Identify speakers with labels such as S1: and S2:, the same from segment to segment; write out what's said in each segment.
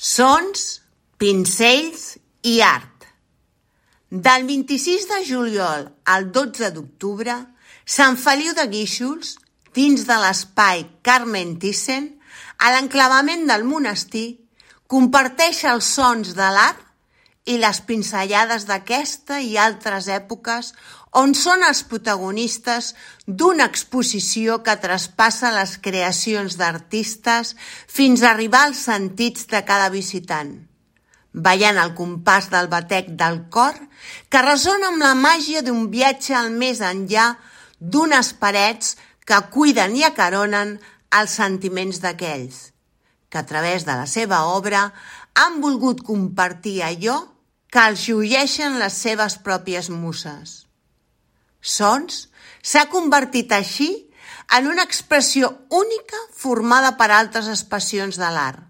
S1: Sons, pincells i art. Del 26 de juliol al 12 d'octubre, Sant Feliu de Guíxols, dins de l'espai Carmen Thyssen, a l'enclavament del monestir, comparteix els sons de l'art i les pinzellades d'aquesta i altres èpoques on són els protagonistes d'una exposició que traspassa les creacions d'artistes fins a arribar als sentits de cada visitant, ballant al compàs del batec del cor que ressona amb la màgia d'un viatge al més enllà d'unes parets que cuiden i acaronen els sentiments d'aquells que a través de la seva obra han volgut compartir allò que els llueixen les seves pròpies muses. Sons s'ha convertit així en una expressió única formada per altres expressions de l'art.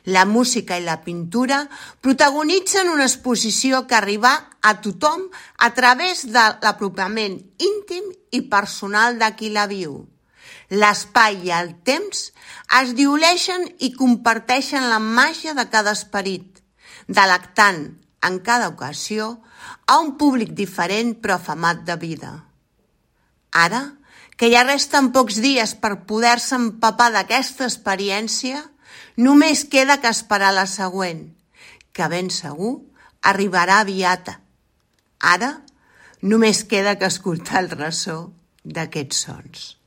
S1: La música i la pintura protagonitzen una exposició que arriba a tothom a través de l'apropament íntim i personal de qui la viu. L'espai i el temps es dioleixen i comparteixen la màgia de cada esperit, delectant en cada ocasió a un públic diferent però afamat de vida. Ara, que ja resten pocs dies per poder-se empapar d'aquesta experiència, només queda que esperar la següent, que ben segur arribarà aviat. Ara, només queda que escoltar el ressò d'aquests sons.